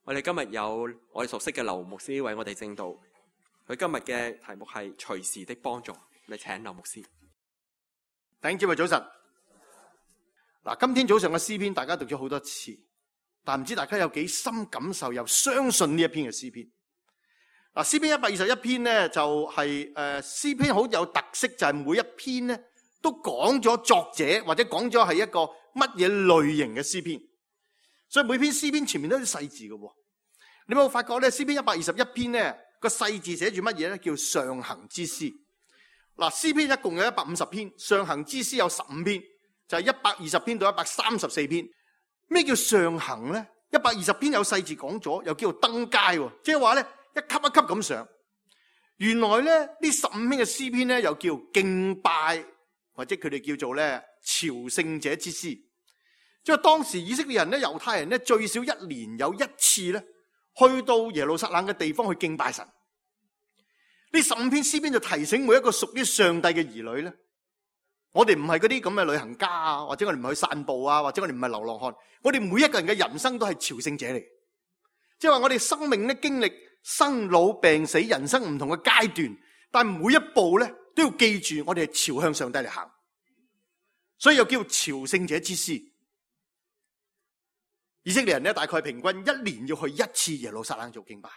我哋今日有我哋熟悉嘅劉牧師為我哋證道，佢今日嘅題目係隨時的幫助。你請劉牧師。弟兄姊妹早晨。嗱，今天早上嘅詩篇大家讀咗好多次，但唔知大家有幾深感受又相信呢一篇嘅詩篇。嗱，詩篇121篇咧就係詩篇好有特色，就係每一篇咧都講咗作者或者講咗係一個乜嘢類型嘅詩篇，所以每篇詩篇前面都有啲細字嘅。你有冇發覺咧？詩篇121篇咧個細字寫住乜嘢咧？叫上行之詩。嗱，詩篇一共有150篇，上行之詩有15篇，就係120篇到134篇。咩叫上行咧？120篇有細字講咗，又叫做登階，即係話咧一級一級咁上。原來咧呢15篇嘅詩篇咧又叫敬拜，或者佢哋叫做咧朝聖者之詩。即係當時以色列人咧、猶太人咧最少一年有一次咧去到耶路撒冷嘅地方去敬拜神。呢15篇詩篇就提醒每一個屬於上帝嘅兒女咧，我哋唔係嗰啲咁嘅旅行家啊，或者我哋唔去散步啊，或者我哋唔係流浪漢，我哋每一個人嘅人生都係朝聖者嚟。即係話我哋生命咧經歷生老病死，人生唔同嘅階段，但每一步咧都要記住我哋係朝向上帝嚟行，所以又叫朝聖者之詩。以色列人咧大概平均一年要去一次耶路撒冷做敬拜。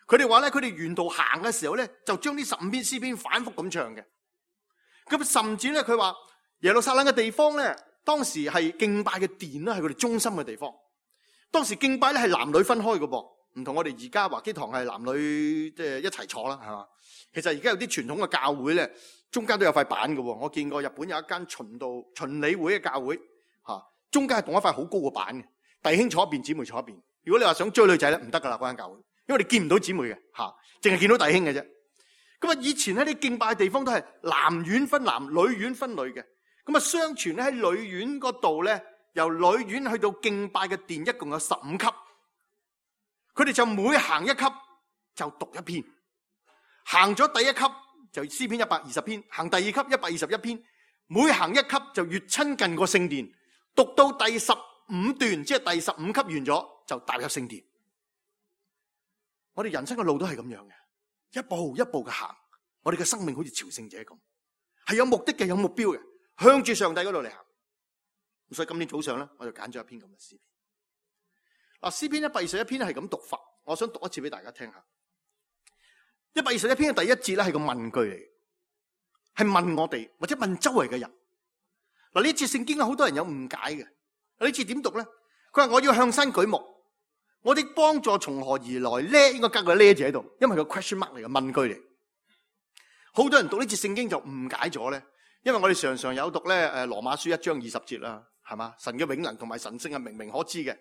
佢哋話咧，佢哋沿途行嘅時候咧，就將呢15篇詩篇反覆咁唱嘅。咁甚至咧，佢話耶路撒冷嘅地方咧，當時係敬拜嘅殿啦，係佢哋中心嘅地方。當時敬拜咧係男女分開嘅噃，唔同我哋而家華基堂係男女即係一齊坐啦，係嘛？其實而家有啲傳統嘅教會咧，中間都有塊板嘅。我見過日本有一間循理會嘅教會，中間係動一塊好高嘅板嘅，弟兄坐一邊，姊妹坐一邊。如果你話想追女仔咧，唔得噶啦，嗰間教會。因為你見唔到姊妹嘅，淨係見到弟兄嘅啫。咁啊，以前喺啲敬拜嘅地方都係男院分男，女院分女嘅。咁啊，相傳咧喺女院嗰度咧，由女院去到敬拜嘅殿，一共有15級。佢哋就每行一級就讀一篇，行咗第一級就詩篇120篇，行第二級121篇，每行一級就越親近個聖殿，讀到第15段，即係第15級完咗，就踏入聖殿。我哋人生嘅路都係咁樣嘅，一步一步嘅行。我哋嘅生命好似朝聖者咁，係有目的嘅，有目標嘅，向住上帝嗰度嚟行。所以今天早上咧，我就揀咗一篇咁嘅詩篇。嗱，詩篇121篇係咁讀法，我想讀一次俾大家聽下。121篇嘅第一節咧係個問句嚟，係問我哋或者問周圍嘅人。嗱，呢節聖經好多人有誤解嘅。呢節點讀咧？佢話我要向山舉目。我的幫助從何而來咧？應該加個咧字喺度，因為個 question mark 嚟嘅問句嚟。好多人讀呢節聖經就誤解咗咧，因為我哋常常有讀咧羅馬書1章20節啦，係嘛？神嘅永能同埋神性係明明可知嘅，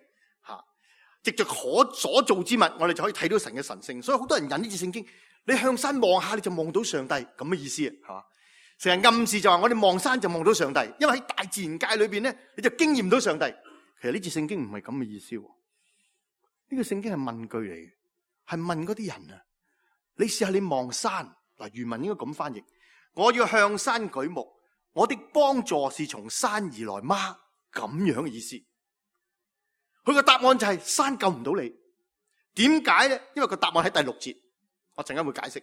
藉着可所造之物，我哋就可以睇到神嘅神性。所以好多人引呢節聖經，你向山望下，你就望到上帝咁嘅意思，係嘛？成日暗示就話我哋望山就望到上帝，因為喺大自然界裏邊咧，你就經驗到上帝。其實呢節聖經唔係咁嘅意思。呢個聖經係問句嚟嘅，係問嗰啲人啊。你試下你望山，嗱，原文應該咁翻譯：我要向山舉目，我的幫助是從山而來嗎？咁樣嘅意思。佢個答案就係山救唔到你。點解咧？因為個答案喺第6節，我陣間會解釋。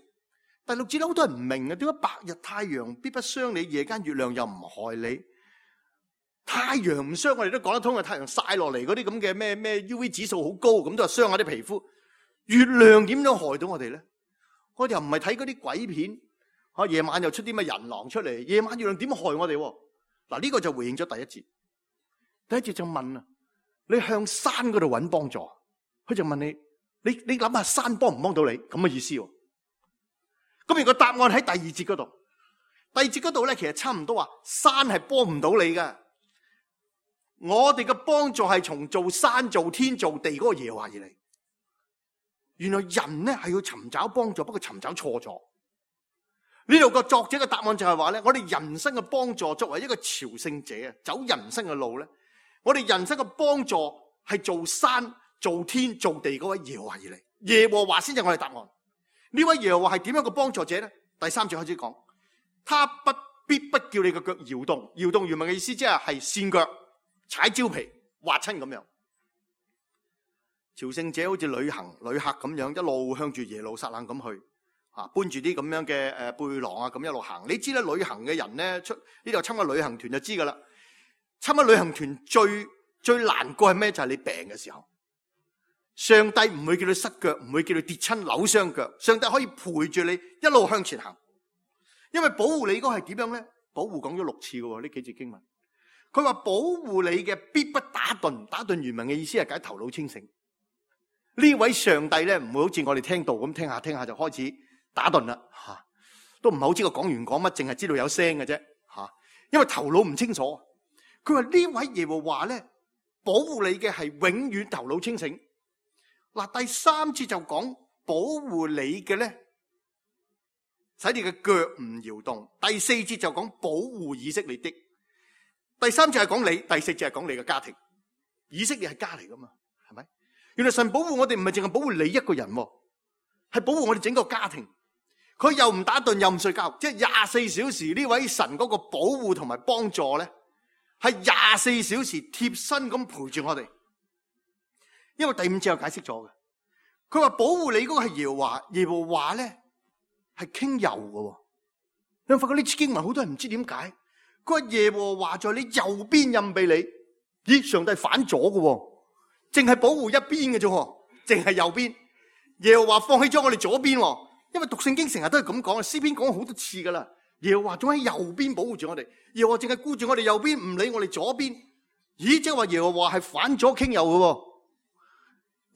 第6節咧，好多人唔明啊，點解白日太陽必不傷你，夜間月亮又唔害你？太陽唔傷我哋都講得通嘅，太陽曬落嚟嗰啲咁嘅咩 UV 指數好高，咁都係傷下啲皮膚。月亮點樣害到我哋咧？我哋又唔係睇嗰啲鬼片，夜晚又出啲咩人狼出嚟，夜晚月亮點害我哋？嗱，呢個就回應咗第一節。第一節就問啊，你向山嗰度揾幫助，佢就問你諗下山幫唔幫到你？咁嘅意思。咁而個答案喺第2節嗰度。第2節嗰度咧，其實差唔多話山係幫唔到你噶。我哋嘅幫助係從造山造天造地嗰個耶和華而嚟。原來人咧係要尋找幫助，不過尋找錯咗。呢度個作者嘅答案就係話咧，我哋人生嘅幫助作為一個朝聖者走人生嘅路咧，我哋人生嘅幫助係造山造天造地嗰位耶和華而嚟。耶和華先係我哋答案。呢位耶和華係點樣嘅幫助者咧？第3節開始講，他必不叫你嘅腳搖動。搖動原文嘅意思即係跣腳、踩蕉皮、滑親咁樣。朝聖者好似旅客咁樣，一路向住耶路撒冷咁去，搬住啲咁樣嘅背囊啊，咁一路行。你知咧，旅行嘅人咧出呢度參加旅行團就知噶啦。參加旅行團最難過係咩？就係你病嘅時候，上帝唔會叫你失腳，唔會叫你跌親扭傷腳，上帝可以陪住你一路向前行。因為保護你嗰個係點樣咧？保護講咗6次嘅呢幾節經文，佢話保護你嘅必不打盹。打盹原文嘅意思係解頭腦清醒。呢位上帝咧唔會好似我哋聽到咁聽下就開始打盹啦，都唔係好知個講員講乜，淨係知道有聲嘅啫，因為頭腦唔清楚。佢話呢位耶和華咧保護你嘅係永遠頭腦清醒。嗱，第3節就講保護你嘅咧，使你嘅腳唔搖動。第4節就講保護以色列的。第3節係講你，第4節係講你嘅家庭。以色列係家嚟噶嘛，係咪？原來神保護我哋唔係淨係保護你一個人，係保護我哋整個家庭。佢又唔打盹又唔睡覺，即係24小時。呢位神嗰個保護同埋幫助咧，係24小時貼身咁陪住我哋。因為第5節有解釋咗嘅，佢話保護你嗰個係耶和華，耶和華咧係傾右嘅。你發覺呢次經文好多人唔知點解，佢話耶和華在你右邊蔭庇你。咦，上帝反咗嘅，淨係保護一邊嘅啫，淨係右邊。耶和華放棄咗我哋左邊，因為讀聖經成日都係咁講，詩篇講咗好多次噶啦。耶和華仲喺右邊保護住我哋，耶和華淨係顧住我哋右邊，唔理我哋左邊。咦，即係話耶和華係反咗傾右嘅，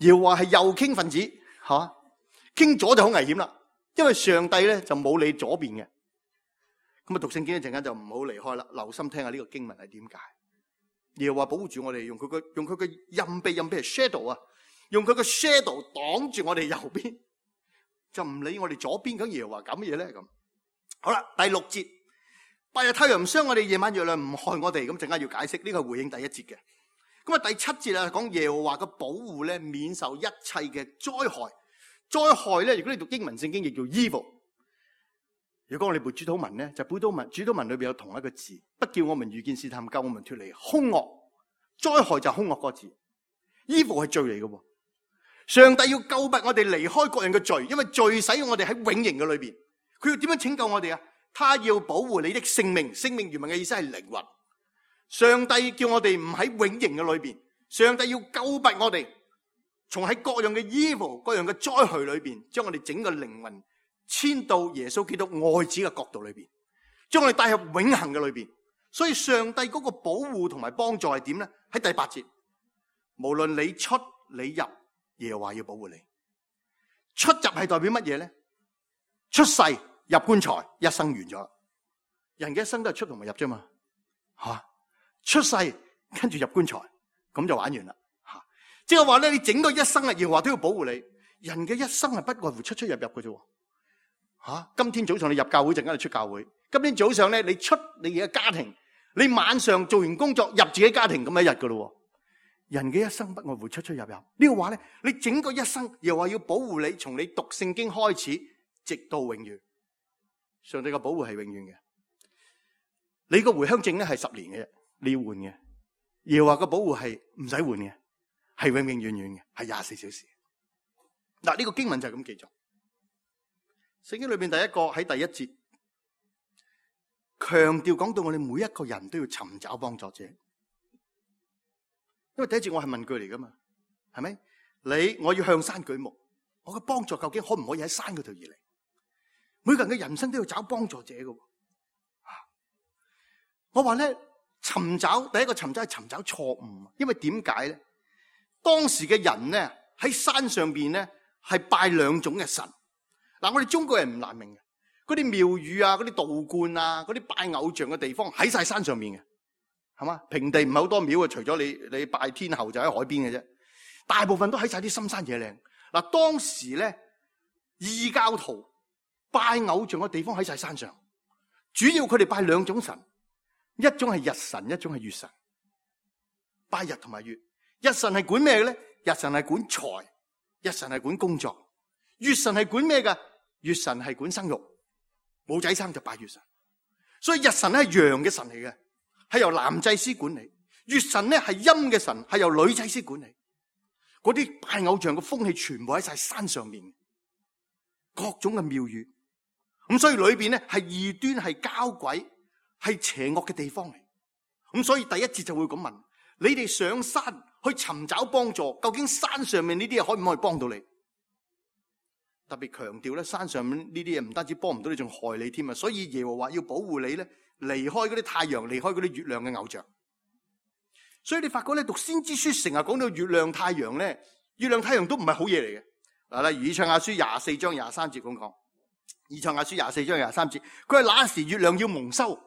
耶和華係右傾分子，傾左就好危險啦。因為上帝咧就冇理左邊嘅。咁啊，讀聖經一陣間就唔好離開啦，留心聽下呢個經文係點解。耶和華保護住我哋，用佢嘅蔭庇係 shadow 啊，用佢嘅 shadow 擋住我哋右邊，就唔理我哋左邊。咁耶和華搞乜嘢咧？咁好啦，第6節，白日太陽唔傷我哋，夜晚月亮唔害我哋。咁陣間要解釋呢個係回應第1節嘅。咁啊，第7節啊講耶和華嘅保護咧，免受一切嘅災害。災害咧，如果你讀英文聖經亦叫 evil。如果我哋背主禱文咧，就主禱文裏邊有同一個字，不叫我們遇見試探，救我們脫離兇惡。災害就係兇惡個字 ，evil 係罪嚟嘅。上帝要救拔我哋離開各樣嘅罪，因為罪使我哋喺永刑嘅裏邊。佢要點樣拯救我哋啊？他要保護你的性命，性命原文嘅意思係靈魂。上帝叫我哋唔喺永刑嘅裏邊，上帝要救拔我哋，從喺各樣嘅 evil、各樣嘅災害裏邊，將我哋整個靈魂遷到耶穌基督愛子嘅國度裏邊，將我哋帶入永恆嘅裏邊。所以上帝嗰個保護同埋幫助係點咧？喺第8節，無論你出你入，耶和華要保護你。出入係代表乜嘢咧？出世入棺材，一生完咗。人嘅一生都係出同埋入啫嘛，出世跟住入棺材，咁就玩完啦。即係話咧，你整個一生啊，耶和華都要保護你。人嘅一生係不外乎出出入入嘅啫。今天早上你入教會，陣間你出教會。今天早上咧，你出你嘅家庭，你晚上做完工作入自己家庭咁一日噶咯。人嘅一生不外乎出出入入。呢個話咧，你整個一生又話要保護你，從你讀聖經開始，直到永遠。上帝嘅保護係永遠嘅。你個回鄉證咧係10年嘅啫，你要換嘅。耶和華嘅保護係唔使換嘅，係永永遠遠嘅，係24小時。嗱，呢個經文就係咁記載。聖經裏邊第一個喺第1節強調講到我哋每一個人都要尋找幫助者，因為第1節我係問句嚟噶嘛，係咪？我要向山舉目，我嘅幫助究竟可唔可以喺山嗰度而嚟？每個人嘅人生都要找幫助者噶。我話咧，第一個尋找係尋找錯誤，因為點解咧？當時嘅人咧喺山上邊咧係拜2種嘅神。嗱，我哋中國人唔難明嘅，嗰啲廟宇啊、嗰啲道觀啊、嗰啲拜偶像嘅地方喺晒山上面嘅，係嘛？平地唔係好多廟啊，除咗你拜天后就喺海邊嘅啫，大部分都喺晒啲深山野嶺。嗱，當時咧異教徒拜偶像嘅地方喺晒山上，主要佢哋拜2種神，一種係日神，一種係月神。拜日同埋月，日神係管咩嘅咧？日神係管財，日神係管工作，月神係管咩噶？月神係管生育，冇仔生就拜月神。所以日神咧係陽嘅神嚟嘅，係由男祭司管理；月神咧係陰嘅神，係由女祭司管理。嗰啲拜偶像嘅風氣全部喺晒山上面，各種嘅廟宇。咁所以裏邊咧係異端、係交鬼、係邪惡嘅地方嚟。咁所以第一節就會咁問：你哋上山去尋找幫助，究竟山上面呢啲嘢可唔可以幫到你？特別強調咧，山上面呢啲嘢唔單止幫唔到你，仲害你添啊！所以耶和華要保護你咧，離開嗰啲太陽，離開嗰啲月亮嘅偶像。所以你發覺咧，讀先知書成日講到月亮太陽咧，月亮太陽都唔係好嘢嚟嘅。嗱，例如以賽亞書24章23節咁講，以賽亞書24章23節，佢係那時月亮要蒙羞。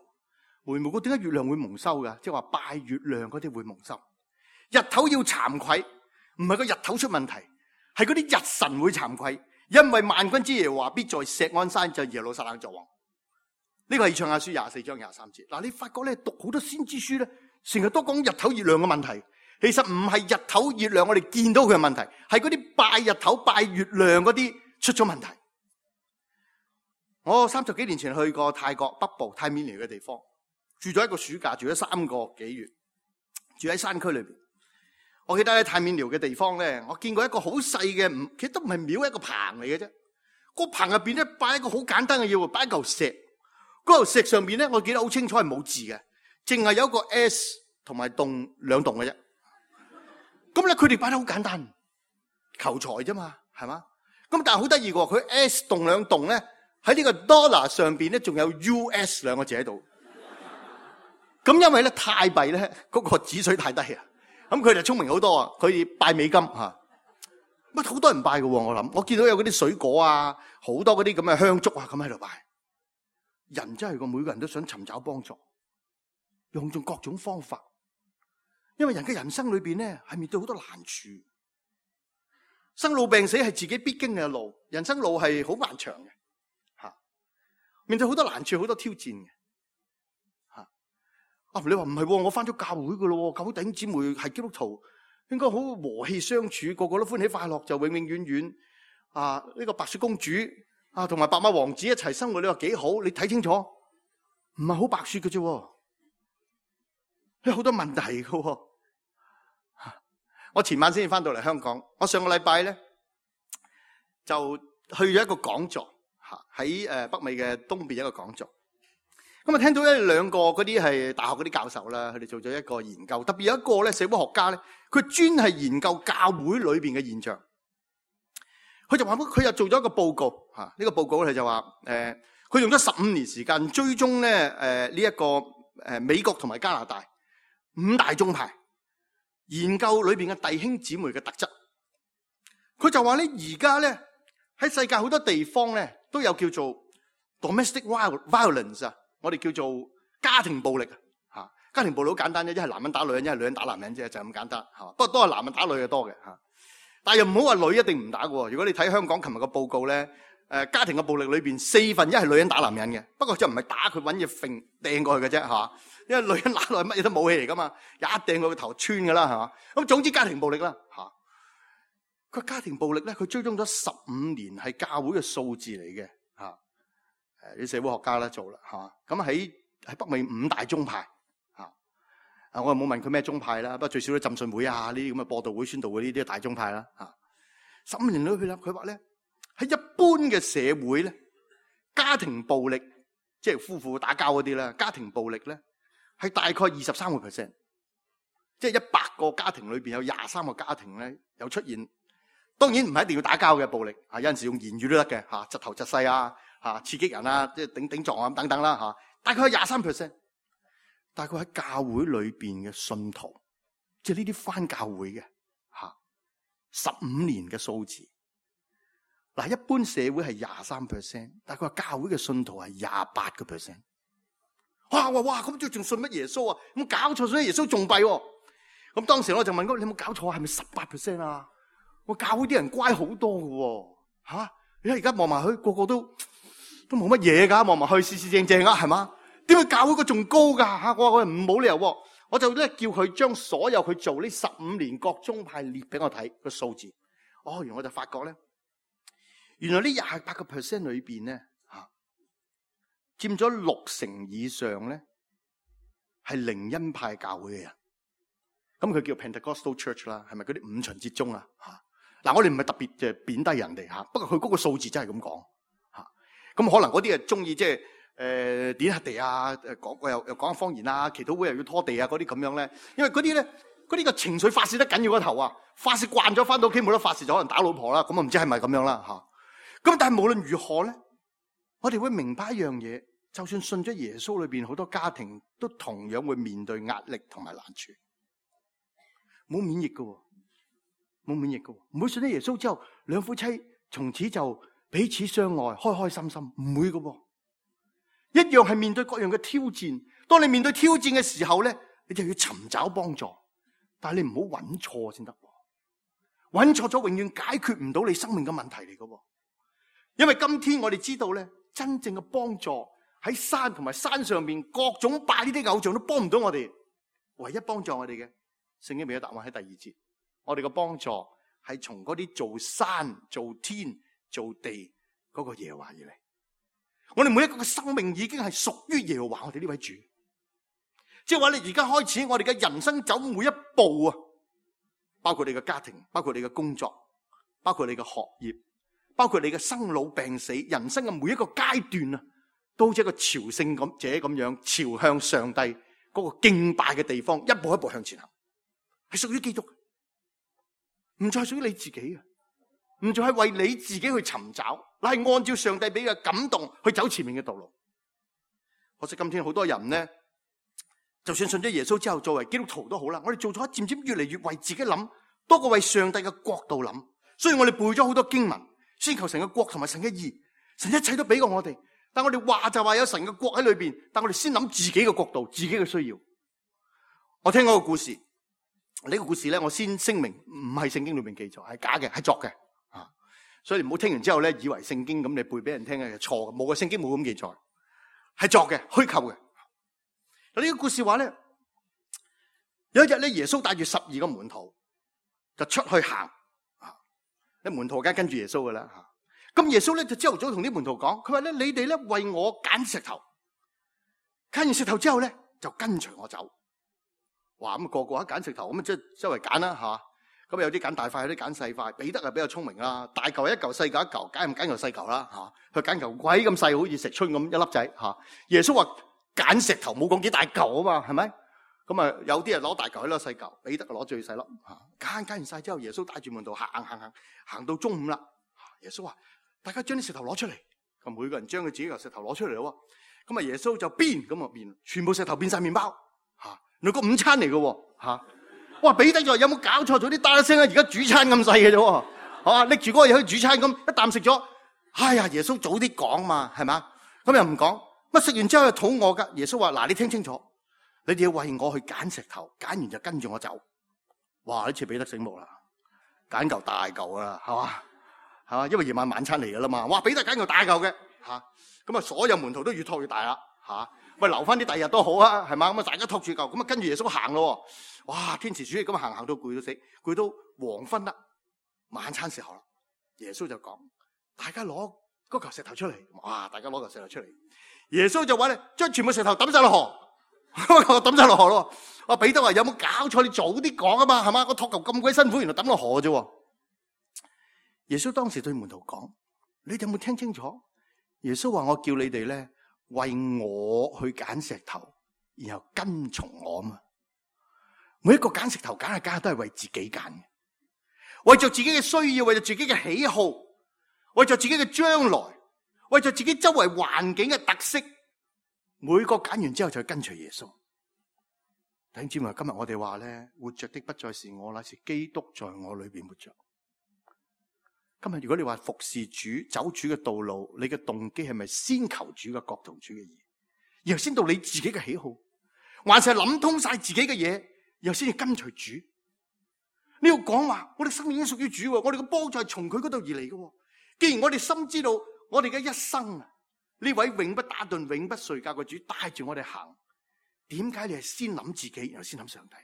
回無哥，點解月亮會蒙羞噶？即係話拜月亮嗰啲會蒙羞。日頭要慚愧，唔係個日頭出問題，係嗰啲日神會慚愧，因為萬軍之耶和華必在錫安山，就耶路撒冷作王。呢個係以賽亞書24章23節。嗱，你發覺咧，讀好多先知書咧，成日都講日頭月亮嘅問題，其實唔係日頭月亮我哋見到佢嘅問題，係嗰啲拜日頭拜月亮嗰啲出咗問題。我30幾年前去過泰國北部泰緬寮嘅地方，住咗一個暑假，住咗3個幾月，住喺山區裏邊。我記得喺泰緬寮嘅地方咧，我見過一個好細嘅，其實都唔係廟，一個棚嚟嘅啫。個棚入邊咧擺一個好簡單嘅嘢，擺一嚿石。嗰嚿石上邊咧，我記得好清楚係冇字嘅，淨係有一個 S 同埋洞兩洞嘅啫。咁咧佢哋擺得好簡單，求財啫嘛，係嘛？咁但係好得意嘅，佢 S 洞兩洞咧喺呢個 dollar 上邊咧，仲有 US 兩個字喺度。咁因為咧泰幣咧嗰個指水太低啊，咁佢哋聰明好多啊，佢拜美金吓，乜好多人拜嘅。我見到有嗰啲水果啊，好多嗰啲咁嘅香燭啊，咁喺度拜。人真係個，每個人都想尋找幫助，用盡各種方法，因為人嘅人生裏邊咧係面對好多難處，生老病死係自己必經嘅路，人生路係好漫長嘅吓，面對好多難處，好多挑戰嘅吓。你話唔係，我翻咗教會噶咯，教會弟兄姊妹係基督徒，應該好和氣相處，個個都歡喜快樂，就永永遠遠啊！呢個白雪公主啊，同埋白馬王子一齊生活，你話幾好？你睇清楚，唔係好白雪嘅啫，有好多問題嘅。我前晚先至翻到嚟香港，我上個禮拜咧就去咗一個講座，喺北美嘅東邊一個講座。咁啊，聽到兩個嗰啲係大學嗰啲教授啦，佢哋做咗一個研究，特別有一個咧社會學家咧，佢專係研究教會裏邊嘅現象。佢就話佢又做咗一個報告，呢個報告佢就話佢用咗15年時間追蹤咧呢一個美國同埋加拿大5大宗派，研究裏邊嘅弟兄姊妹嘅特質。佢就話咧，而家咧喺世界好多地方咧都有叫做 domestic violence 啊，我哋叫做家庭暴力啊。家庭暴力好簡單啫，一係男人打女人，一係女人打男人啫，就咁簡單嚇。不過都係男人打女嘅多嘅嚇。但係又唔好話女一定唔打嘅。如果你睇香港琴日個報告咧，家庭嘅暴力裏邊4分1係女人打男人嘅，不過就唔係打佢，揾嘢掟過去嘅啫嚇。因為女人打落去乜嘢都武器嚟噶嘛，一掟佢個頭穿噶啦係嘛。咁總之家庭暴力啦嚇。佢家庭暴力咧，佢追蹤咗15年係教會嘅數字嚟嘅嚇。啲社會學家咧做啦嚇。咁喺北美5大宗派。我又冇問佢咩宗派啦，不過最少都浸信會啊，呢啲咁嘅播道會、宣道會呢啲大宗派啦。15年裏邊啦，佢話咧喺一般嘅社會咧，家庭暴力即係夫婦打交嗰啲啦，家庭暴力咧係大概23%，即係100個家庭裏邊有23個家庭咧有出現。當然唔係一定要打交嘅暴力，有陣時用言語都得嘅嚇，窒頭窒勢啊嚇，刺激人啊，即係頂撞啊等等啦嚇，大概係23%。大概喺教會裏邊嘅信徒，即係呢啲返教會嘅15年嘅數字。嗱，一般社會係23%，但係佢話教會嘅信徒係28%。哇！咁仲信乜耶穌啊？咁搞錯，所以耶穌仲弊喎。咁當時我就問佢：你有冇搞錯？係咪18%啊？我教會啲人乖好多嘅喎，你睇而家望埋去，個個都冇乜嘢㗎，望埋去四四正正啊，係嘛？點解教會個仲高㗎嚇？我話唔冇理由喎，我就咧叫佢將所有佢做呢15年各宗派列俾我睇個數字。原來我就發覺咧，原來呢28% 裏邊咧佔咗60%以上咧係靈恩派教會嘅人。咁佢叫 Pentecostal Church 啦，係咪嗰啲五旬節宗啊？嗱，我哋唔係特別即係貶低人哋嚇，不過佢嗰個數字真係咁講嚇。咁可能嗰啲係中意即係點下地啊，講又講方言啊，祈禱會又要拖地啊嗰啲咁樣咧。因為嗰啲咧，嗰啲個情緒發泄得緊要個頭啊，發泄慣咗翻到屋企冇得發泄，就可能打老婆啦。咁啊唔知係咪咁樣啦嚇。咁但係無論如何咧，我哋會明白一樣嘢，就算信咗耶穌裏邊好多家庭都同樣會面對壓力同埋難處，冇免疫㗎喎。冇免疫嘅，唔會信咗耶穌之後，兩夫妻從此就彼此相愛，開開心心，唔會嘅，一樣係面對各樣嘅挑戰。當你面對挑戰嘅時候咧，你就要尋找幫助，但係你唔好揾錯先得，揾錯咗永遠解決唔到你生命嘅問題嚟嘅。因為今天我哋知道咧，真正嘅幫助喺山同埋山上面，各種拜呢啲偶像都幫唔到我哋，唯一幫助我哋嘅，聖經俾咗答案喺第2節。我哋嘅幫助係從嗰啲做山、做天、做地嗰個耶和華而嚟。我哋每一個嘅生命已經係屬於耶和華我哋呢位主。即係話你而家開始，我哋嘅人生走每一步啊，包括你嘅家庭，包括你嘅工作，包括你嘅學業，包括你嘅生老病死，人生嘅每一個階段啊，都好似一個朝聖者咁樣朝向上帝嗰個敬拜嘅地方，一步一步向前行，係屬於基督。唔再屬於你自己啊，唔再係為你自己去尋找，乃係按照上帝俾嘅感動去走前面嘅道路。可惜今天好多人呢，就算信咗耶穌之後，作為基督徒都好啦，我哋做咗漸漸越嚟越為自己諗，多過為上帝嘅國度諗。所以我哋背咗好多經文，先求神嘅國同埋神嘅義，神一切都俾過我哋。但我哋話就話有神嘅國喺裏邊，但我哋先諗自己嘅國度、自己嘅需要。我聽過個故事。呢個故事咧，我先聲明唔係聖經裏面記載，係假嘅，係作嘅啊！所以唔好聽完之後咧，以為聖經咁你背俾人聽嘅係錯嘅，冇嘅，聖經冇咁記載，係作嘅，虛構嘅。嗱，呢個故事話咧，有一日咧，耶穌帶住12個門徒就出去行啊！啲門徒梗係跟住耶穌噶啦吓。咁耶穌咧就朝頭早同啲門徒講，佢話咧，你哋咧為我揀石頭，揀完石頭之後咧就跟隨我走。哇！咁個個一揀石頭，咁即係周圍揀啦吓。咁有啲揀大塊，有啲揀細塊。彼得係比較聰明啦，大嚿一嚿，細嚿一嚿，揀唔揀嚿細嚿啦吓。佢揀嚿鬼咁細，好似石春咁一粒仔吓。耶穌話揀石頭，冇講幾大嚿啊嘛，係咪？咁啊有啲人攞大嚿，有啲攞細嚿。彼得攞最細粒吓。揀完晒之後，耶穌帶住門徒行到中午啦。耶穌話：大家將啲石頭攞出嚟。咁每個人將佢自己嚿石頭攞出嚟咯。咁啊耶穌就變咁啊變，全部石頭變晒麵包吓。原來個午餐嚟嘅吓，哇！彼得就話有冇搞錯？咗啲打一聲啊！而家主餐咁細嘅啫，吓拎住嗰個嘢去煮餐咁，一啖食咗。哎呀，耶穌早啲講嘛，係嘛？咁又唔講，乜食完之後又肚餓噶。耶穌話：嗱，你聽清楚，你哋要為我去揀石頭，揀完就跟住我走。哇！呢次彼得醒目啦，揀嚿大嚿啦，係嘛？係嘛？因為夜晚餐嚟噶啦嘛。哇！彼得揀嚿大嚿嘅吓，咁啊所有門徒都越拖越大啦吓。喂，留翻啲第日都好啊，係嘛？咁啊，大家托住嚿，咁啊跟住耶穌行咯。哇，天時暑熱咁行到攰到死，攰到黃昏啦，晚餐時候啦。耶穌就講：大家攞嗰嚿石頭出嚟。哇，大家攞嚿石頭出嚟。耶穌就話咧，將全部石頭抌晒落河，抌晒落河咯。我彼得話：有冇搞錯？你早啲講啊嘛，係嘛？個托球咁鬼辛苦，原來抌落河啫。耶穌當時對門徒講：你哋有冇聽清楚？耶穌話：我叫你哋咧。為我去揀石頭，然後跟從我嘛。每一個揀石頭揀下都係為自己揀嘅，為着自己嘅需要，為着自己嘅喜好，為着自己嘅將來，為着自己周圍環境嘅特色。每個揀完之後就跟隨耶穌。弟兄姊妹，今日我哋話咧，活着的不再是我，乃是基督在我裏邊活着。今日如果你話服侍主、走主嘅道路，你嘅動機係咪先求主嘅國同主嘅義，然後先到你自己嘅喜好，還是係諗通晒自己嘅嘢，然後先至跟隨主？呢個講話，我哋生命已經屬於主，我哋嘅幫助係從佢嗰度而嚟嘅。既然我哋深知道我哋嘅一生啊，呢位永不打盹、永不睡覺嘅主帶住我哋行，點解你係先諗自己，然後先諗上帝？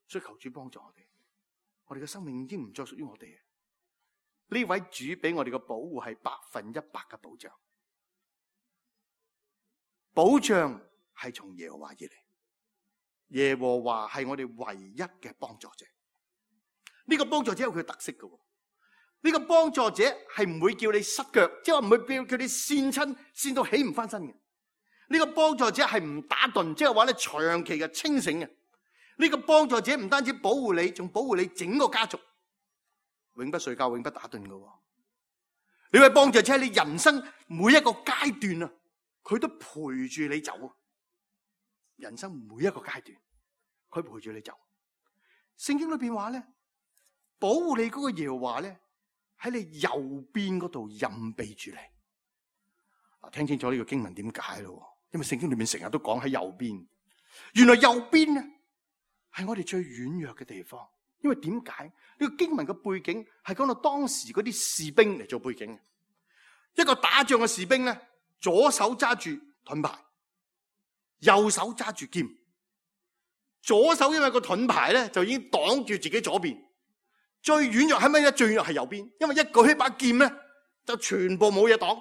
所以求主幫助我哋嘅生命已經唔再屬於我哋。呢位主俾我哋嘅保護係100%嘅保障，保障係從耶和華而嚟。耶和華係我哋唯一嘅幫助者。呢個幫助者有佢嘅特色嘅。呢個幫助者係唔會叫你失腳，即係話唔會叫你跣親，跣到起唔翻身嘅。呢個幫助者係唔打盹，即係話咧長期嘅清醒嘅。呢個幫助者唔單止保護你，仲保護你整個家族，永不睡覺，永不打盹嘅。呢位幫助者喺你人生每一個階段啊，佢都陪住你走。人生每一個階段，佢陪住你走。聖經裏邊話咧，保護你嗰個耶和華咧，喺你右邊嗰度蔭庇住你。嗱，聽清楚呢個經文點解咯？因為聖經裏面成日都講喺右邊。原來右邊咧係我哋最軟弱嘅地方。因為點解呢個經文嘅背景係講到當時嗰啲士兵嚟做背景嘅。一個打仗嘅士兵咧，左手揸住盾牌，右手揸住劍。左手因為個盾牌咧就已經擋住自己左邊。最軟弱係乜嘢？最軟弱係右邊，因為一舉起把劍咧就全部冇嘢擋。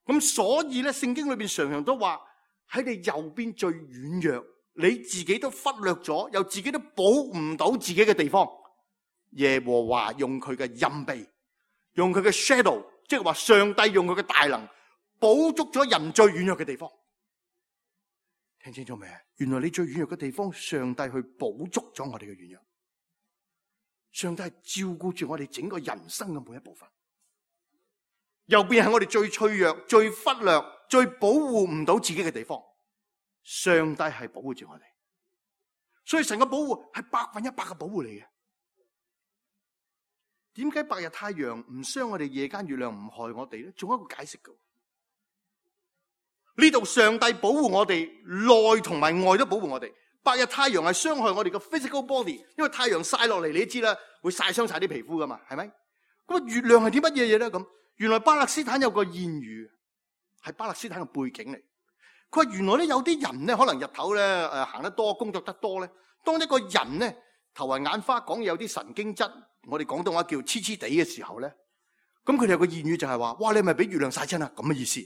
咁所以咧，聖經裏邊常常都話喺你右邊最軟弱，你自己都忽略咗，又自己都保唔到自己嘅地方，耶和華用佢嘅蔭庇，用佢嘅 shadow， 即係話上帝用佢嘅大能保足咗人最軟弱嘅地方。聽清楚未？原來你最軟弱嘅地方，上帝去保足咗我哋嘅軟弱。上帝係照顧住我哋整個人生嘅每一部分。右邊係我哋最脆弱、最忽略、最保護唔到自己嘅地方。上帝係保護住我哋，所以神嘅保護係100%嘅保護嚟嘅。點解白日太陽唔傷我哋，夜間月亮唔害我哋咧？仲有一個解釋嘅。呢度上帝保護我哋，內同埋外都保護我哋。白日太陽係傷害我哋嘅 physical body， 因為太陽曬落嚟，你都知啦，會曬傷晒啲皮膚噶嘛，係咪？咁啊，月亮係啲乜嘢嘢咧？咁原來巴勒斯坦有個諺語，係巴勒斯坦嘅背景嚟。佢話原來咧有啲人咧，可能日頭咧行得多，工作得多咧，當一個人咧頭暈眼花，講嘢有啲神經質，我哋廣東話叫黐黐地嘅時候咧，咁佢哋有個諺語就係話：哇，你係咪俾月亮曬親啊？咁嘅意思。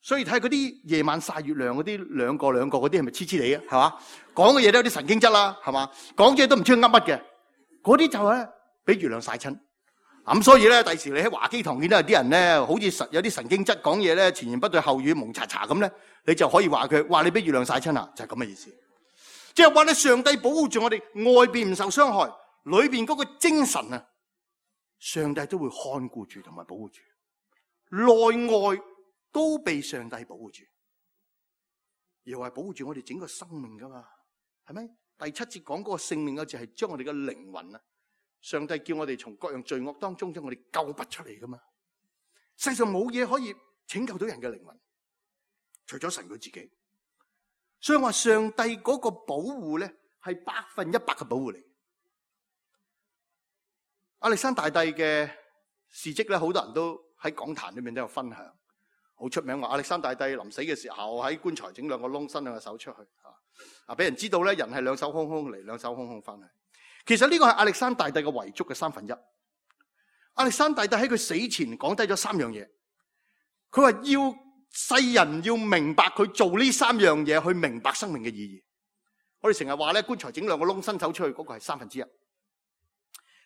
所以睇嗰啲夜晚曬月亮嗰啲兩個嗰啲係咪黐黐地啊？係嘛？講嘅嘢都有啲神經質啦，係嘛？講嘢都唔知佢噏乜嘅，嗰啲就係咧俾月亮曬親。咁所以咧，第時你喺華基堂見到有啲人咧，好似有啲神經質，講嘢咧前言不對後語蒙查查咁咧，你就可以話佢：哇，你俾月亮曬親啊！就係咁嘅意思。即係話咧，上帝保護住我哋，外邊唔受傷害，裏邊嗰個精神啊，上帝都會看顧住同埋保護住，內外都被上帝保護住，又係保護住我哋整個生命噶嘛，係咪？第7節講嗰個性命嘅就係將我哋嘅靈魂啊，上帝叫我哋從各樣罪惡當中將我哋救拔出嚟噶嘛。世上冇嘢可以拯救到人嘅靈魂，除咗神佢自己。所以話上帝嗰個保護咧係100%嘅保護嚟。亞歷山大帝嘅事蹟咧，好多人都喺講壇裏面都有分享。好出名話亞歷山大帝臨死嘅時候喺棺材整2個窿，伸2個手出去啊！俾人知道咧，人係2手空空嚟，2手空空翻去。其實呢個係亞歷山大帝嘅遺囑嘅1/3。亞歷山大帝喺佢死前講低咗3樣嘢，佢話要世人要明白佢做呢3樣嘢，去明白生命嘅意義。我哋成日話咧，棺材整2個窿，伸手出去，嗰個係1/3。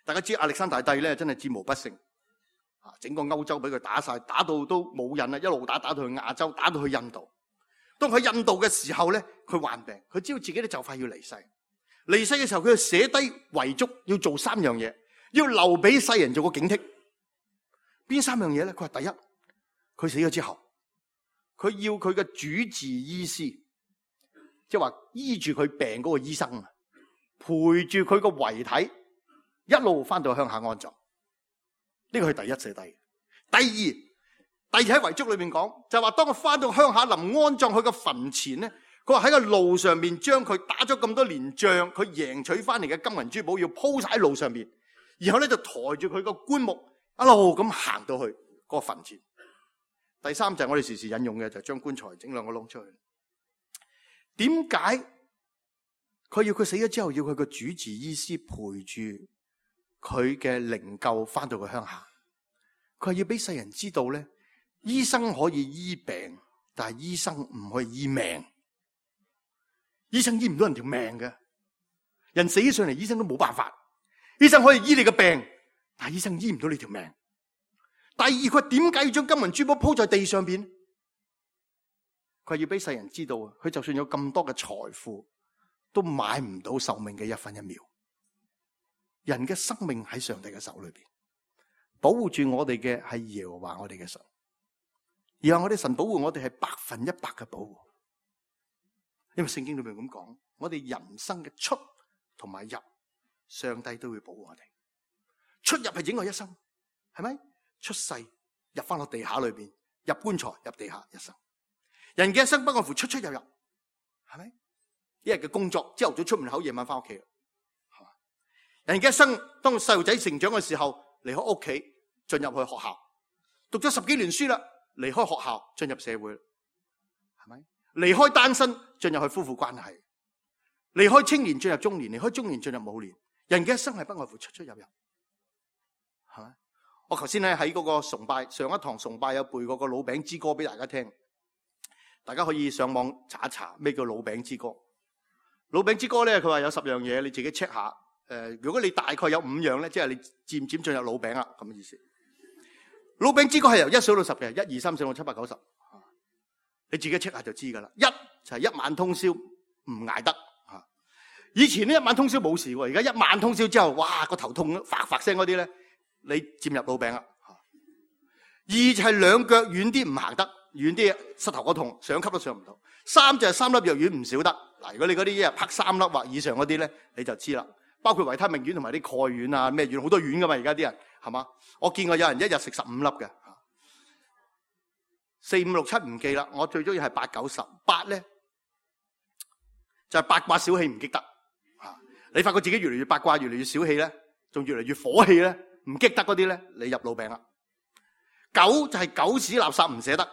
大家知亞歷山大帝咧真係戰無不勝。整個歐洲俾佢打晒，打到都冇癮啦，一路打到去亞洲，打到去印度。當佢印度嘅時候咧，佢患病，佢知道自己咧就快要離世。離世嘅時候，佢就寫低遺囑，要做3樣嘢，要留俾世人做個警惕。邊3樣嘢咧？佢話第一，佢死咗之後，佢要佢嘅主治醫師，即係話醫住佢病嗰個醫生啊，陪住佢個遺體一路翻到鄉下安葬。呢個係第一寫低。第二喺遺囑裏面講，就話當佢翻到鄉下臨安葬佢個墳前咧，佢話喺個路上面將佢打咗咁多年仗，佢贏取翻嚟嘅金銀珠寶要鋪晒喺路上面，然後咧就抬住佢個棺木一路咁行到去個墳前。第三就係我哋時時引用嘅，就係將棺材整2個窿出去。點解佢要佢死咗之後要佢個主治醫師陪住佢嘅靈柩翻到佢鄉下？佢係要俾世人知道咧，醫生可以醫病，但係醫生唔可以醫命。醫生醫唔到人條命嘅，人死上嚟，醫生都冇辦法。醫生可以醫你嘅病，但係醫生醫唔到你條命。第二，佢話點解要將金銀珠寶鋪在地上邊？佢話要俾世人知道，佢就算有咁多嘅財富，都買唔到壽命嘅一分一秒。人嘅生命喺上帝嘅手裏邊，保護住我哋嘅係耶和華我哋嘅神，然後我哋神保護我哋係100%嘅保護。因為聖經裏面咁講，我哋人生嘅出同埋入，上帝都會保護我哋。出入係整個一生，係咪？出世入翻落地下裏邊，入棺材入地下一生。人嘅一生不外乎出出入入，係咪？一日嘅工作，朝頭早出門口，夜晚翻屋企。人嘅一生，當細路仔成長嘅時候，離開屋企進入去學校，讀咗10幾年書啦，離開學校進入社會，係咪？離開單身進入去夫婦關係，離開青年進入中年，離開中年進入老年。人嘅一生係不外乎出出入入，係咪？我頭先咧喺嗰個崇拜上一堂崇拜有背過個老餅之歌俾大家聽，大家可以上網查一查咩叫老餅之歌。老餅之歌咧，佢話有10樣嘢，你自己 check 下。如果你大概有5樣咧，即係你漸漸進入老餅啦，咁嘅意思。老餅之歌係由1數到10嘅，1、2、3、4、5、7、8、9、10。你自己 check 下就知噶啦。1就係一晚通宵唔捱得。以前呢一晚通宵冇事喎，而家一晚通宵之後，哇個頭痛發發聲嗰啲咧，你漸入老餅啦。2就係兩腳遠啲唔行得，遠啲膝頭哥痛，上級都上唔到。3就係3粒藥丸唔少得。嗱，如果你嗰啲一日啪3粒或以上嗰啲咧，你就知啦。包括維他命丸同埋啲鈣丸啊，咩丸好多丸噶嘛，而家啲人係嘛？我見過有人一日食15粒嘅。4、5、6、7唔記啦，我最中意係8、9、10。8咧就係八卦小氣唔激得。你發覺自己越嚟越八卦，越嚟越小氣咧，仲越嚟越火氣咧，唔激得嗰啲咧，你入老餅啦。9就係狗屎垃圾唔捨得，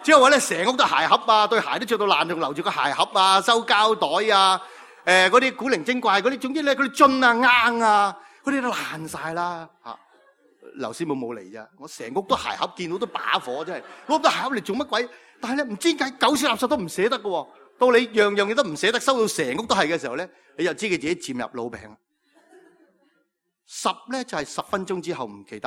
即係話咧成屋都鞋盒啊，對鞋都着到爛，仲留住個鞋盒啊，收膠袋啊，嗰啲古靈精怪嗰啲，總之咧嗰啲樽啊、罌啊，嗰啲都爛晒啦嚇。劉師母冇嚟咋，我成屋都鞋盒，見到都把火，真係攞到鞋盒嚟做乜鬼？但係咧唔知點解狗屎垃圾都唔捨得嘅喎。到你樣樣嘢都唔捨得，收到成屋都係嘅時候咧，你就知佢自己漸入老餅。10咧就係10分鐘之後唔記得。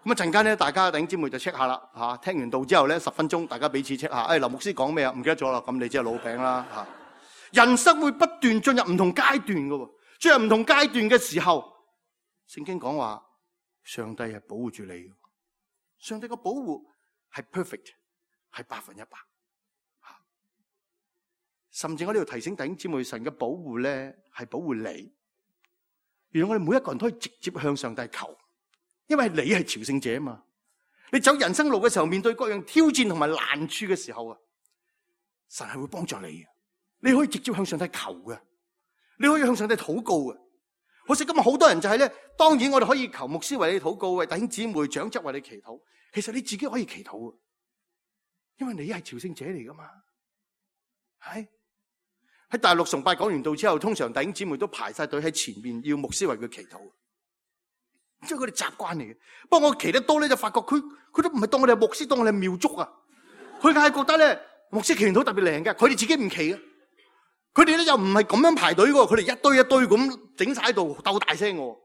咁啊陣間咧，大家弟兄姊妹就 check 下啦嚇。聽完道之後咧，10分鐘大家彼此 check 下。劉牧師講咩啊？唔記得咗啦，咁你即係老餅啦嚇。人生會不斷進入唔同階段嘅喎，進入唔同階段嘅時候，聖經講話上帝係保護住你，上帝個保護係 perfect， 係100%。甚至我呢度提醒弟兄姊妹，神嘅保護咧係保護你。原來我哋每一個人都可以直接向上帝求，因為你係朝聖者啊嘛。你走人生路嘅時候，面對各樣挑戰同埋難處嘅時候啊，神係會幫助你嘅。你可以直接向上帝求嘅，你可以向上帝禱告嘅。可惜今日好多人就係咧，當然我哋可以求牧師為你禱告，為弟兄姊妹長執為你祈禱。其實你自己可以祈禱嘅，因為你係朝聖者嚟噶嘛，係。喺大陸崇拜講完道之後，通常弟兄姊妹都排晒隊喺前面，要牧師為佢祈禱，即係佢哋習慣嚟嘅。不過我祈得多咧，就發覺佢都唔係當我哋係牧師，當我哋係廟祝啊。佢梗係覺得咧，牧師祈禱特別靈嘅，佢哋自己唔祈嘅。佢哋咧又唔係咁樣排隊嘅，佢哋一堆一堆咁整晒喺度鬥大聲嘅。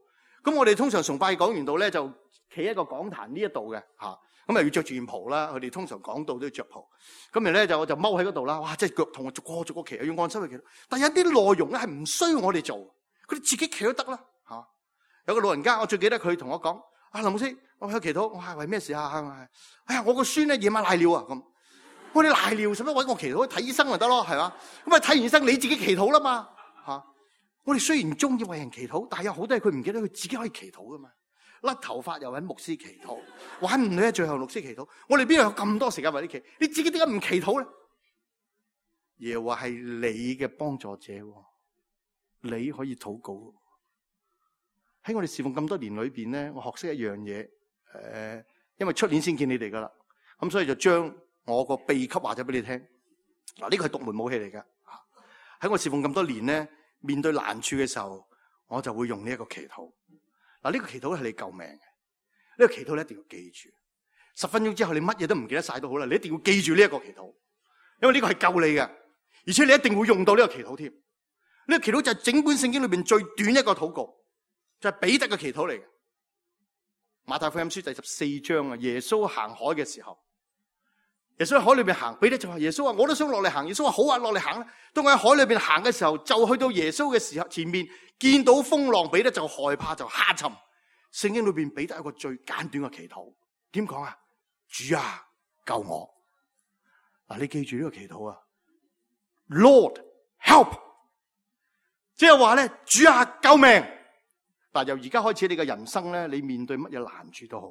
咁我哋通常崇拜講完道咧，就企喺個講壇呢一度嘅嚇。咁要着住件袍啦，佢哋通常講道都要着袍。咁然咧我就踎喺嗰度啦，哇！即係腳痛，逐個企，要按手去企。但係有啲內容咧係唔需要我哋做，佢哋自己企都得啦嚇。有個老人家，我最記得佢同我講：林牧師，我去祈禱，我係為咩事啊？哎呀，我個孫咧夜晚瀨尿啊咁。我哋瀨尿使乜揾我祈禱？睇醫生就得咯，係嘛？咁啊睇完醫生你自己祈禱啦嘛嚇。我哋雖然中意為人祈禱，但係有好多嘢佢唔記得，佢自己可以祈禱噶嘛。甩頭髮又揾牧師祈禱，玩唔到最後牧師祈禱。我哋邊度有咁多時間為你祈？你自己點解唔祈禱咧？耶和華係你嘅幫助者，你可以禱告。喺我哋侍奉咁多年裏邊咧，我學識一樣嘢，因為出年先見你哋噶啦，咁所以就將我個秘笈話咗俾你聽。嗱，呢個係獨門武器嚟噶。喺我侍奉咁多年咧，面對難處嘅時候，我就會用呢一個祈禱。嗱，呢個祈禱係你救命嘅，呢個祈禱你一定要記住。10分鐘之後你乜嘢都唔記得晒都好啦，你一定要記住呢一個祈禱，因為呢個係救你嘅。而且你一定會用到呢個祈禱添。呢個祈禱就係整本聖經裏邊最短一個禱告，就係彼得嘅祈禱嚟嘅。馬太福音書第14章啊，耶穌行海嘅時候，耶穌喺海裏邊行，彼得就話：耶穌啊，我都想落嚟行。耶穌話：好啊，落嚟行啦。當我喺海裏邊行嘅時候，就去到耶穌嘅時候前面，見到風浪，彼得就害怕，就下沉。聖經裏邊彼得一個最簡短嘅祈禱，點講啊？主啊，救我！嗱，你記住呢個祈禱啊 ，Lord help， 即係話咧，主啊，救命！嗱，由而家開始，你嘅人生咧，你面對乜嘢難處都好，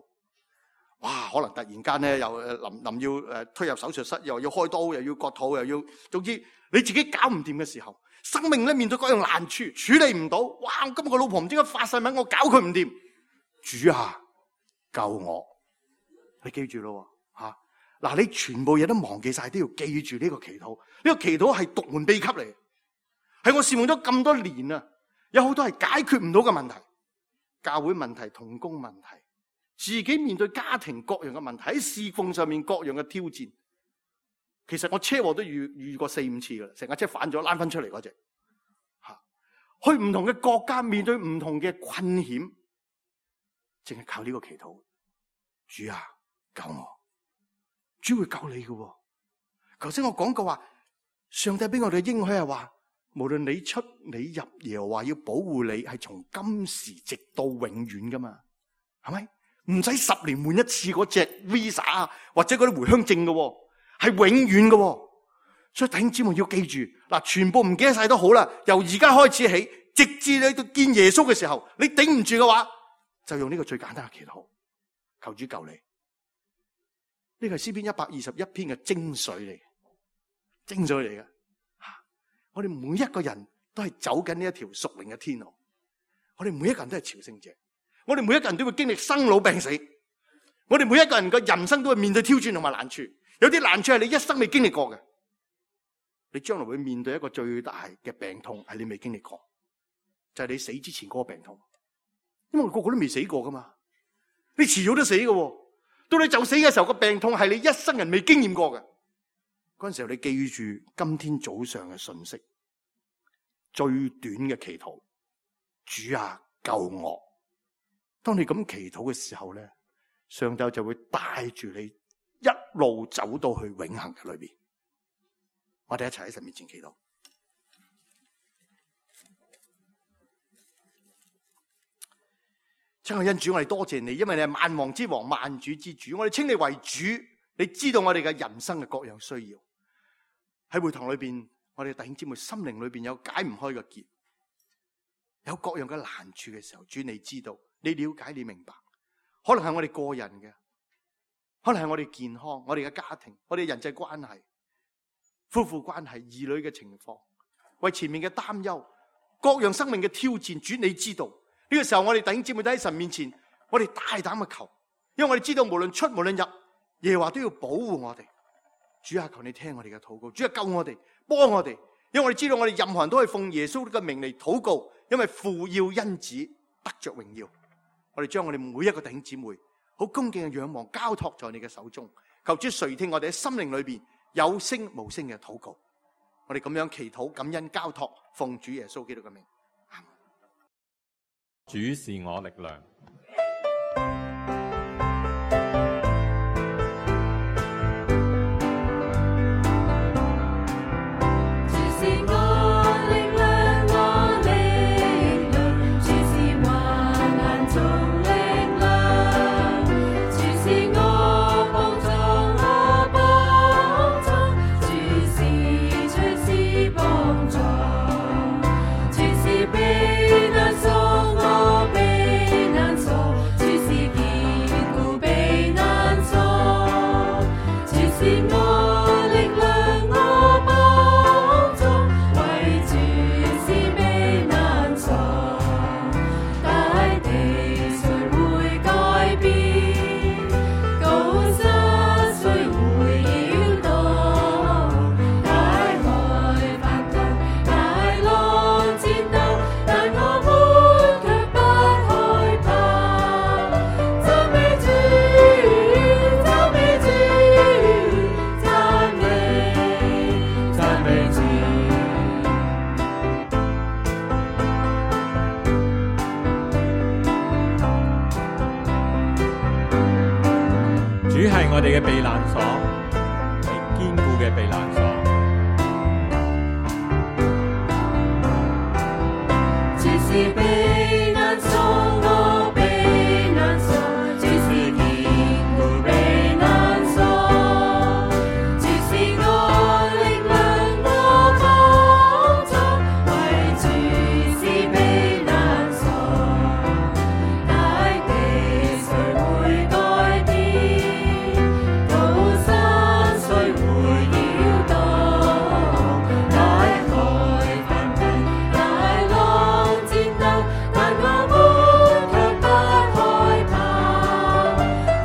哇，可能突然間咧又臨要推入手術室，又要開刀，又要割肚，又要，總之你自己搞唔掂嘅時候，生命咧面對各樣難處，處理唔到，哇！今日個老婆唔知點解發晒文，我搞佢唔掂，主啊，救我！你記住咯，吓，嗱，你全部嘢都忘記晒，都要記住呢個祈禱。呢個祈禱係獨門秘笈嚟，係我侍奉咗咁多年啊，有好多係解決唔到嘅問題。教會問題、同工問題，自己面對家庭各樣嘅問題，喺侍奉上面各樣嘅挑戰。其實我車禍都遇過4-5次噶啦，成架車反咗，拉翻出嚟嗰隻。去唔同嘅國家，面對唔同嘅困險，淨係靠呢個祈禱。主啊，救我！主會救你嘅。頭先我講過話，上帝俾我哋應許係話，無論你出你入，耶和華要保護你，係從今時直到永遠噶嘛，係咪？唔使10年換一次嗰隻 Visa 或者嗰啲回鄉證嘅，係永遠嘅。所以弟兄姊妹要記住，嗱，全部唔記得晒都好啦。由而家開始起，直至你到見耶穌嘅時候，你頂唔住嘅話，就用呢個最簡單嘅祈禱，求主救你。呢個係詩篇121篇嘅精髓嚟，精髓嚟嘅。我哋每一個人都係走緊呢一條屬靈嘅天路，我哋每一個人都係朝聖者，我哋每一個人都會經歷生老病死，我哋每一個人嘅人生都會面對挑戰同埋難處，有啲難處係你一生未經歷過嘅，你將來會面對一個最大嘅病痛係你未經歷過，就係你死之前嗰個病痛，因為我哋個個都未死過噶嘛，你遲早都死嘅，到你就死嘅時候，個病痛係你一生人未經驗過嘅。嗰陣時候你記住今天早上嘅信息，最短嘅祈禱，主啊，救我！當你咁祈禱嘅時候咧，上帝就會帶住你一路走到去永恆嘅裏邊。我哋一齊喺神面前祈禱。親愛恩主，我哋多謝你，因為你係萬王之王、萬主之主，我哋稱你為主，你知道我哋嘅人生嘅各樣需要。喺會堂裏邊，我哋弟兄姊妹心靈裏邊有解唔開嘅結，有各樣嘅難處嘅時候，主你知道，你了解，你明白。可能係我哋個人嘅，可能係我哋健康、我哋嘅家庭、我哋人際關係、夫婦關係、兒女嘅情況，為前面嘅擔憂，各樣生命嘅挑戰，主你知道。呢個時候，我哋弟兄姊妹都喺神面前，我哋大膽嘅求，因為我哋知道無論出無論入，耶和華都要保護我哋。主啊，求你聽我哋嘅禱告，主啊，救我哋，幫我哋，因為我哋知道我哋任何人都係奉耶穌嘅名嚟禱告，因為父要因子得着榮耀。我哋將我哋每一個弟兄姊妹好恭敬嘅仰望交託在你嘅手中，求主垂聽我哋喺心靈裏邊有聲無聲嘅禱告。我哋咁樣祈禱感恩交託，奉主耶穌基督嘅名。主是我力量。主是避難所，我避難所。係我哋嘅避難所，係堅固嘅避難所。主是避難所，我避難所，主是堅固避難所，主是我力量，我幫助，為主是避難所，大地誰會改變？高山誰會搖動？大海翻騰，大浪戰鬥，但我們卻不害怕。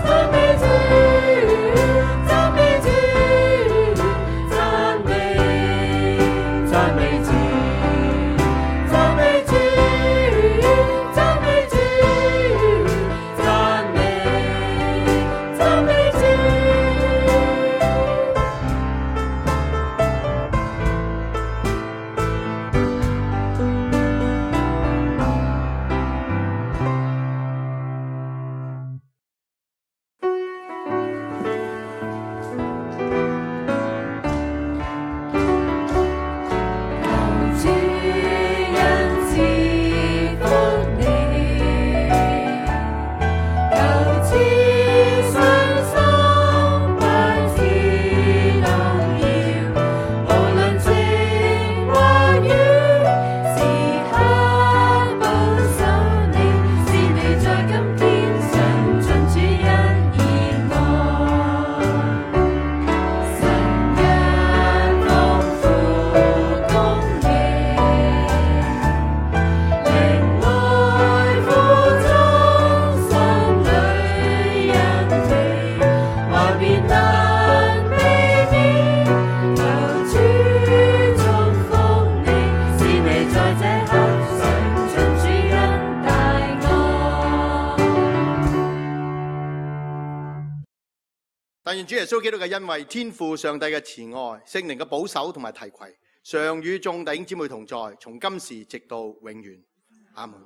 讚美主，讚美主，讚美，讚美主，讚美主，讚美主，讚美，讚美主。求主恩賜福你，求賜信心不知動搖，無論晴或雨，時刻保守你，使你在今天常盡主恩熱愛。神恩豐富供應，靈愛富足，心裏恩庇，話別難避免。求主祝福你，使你在這刻常盡主恩大愛。但願主耶穌基督嘅恩惠、天父上帝嘅慈愛、聖靈嘅保守同埋提攜，常與眾弟兄姊妹同在，從今時直到永遠。阿門。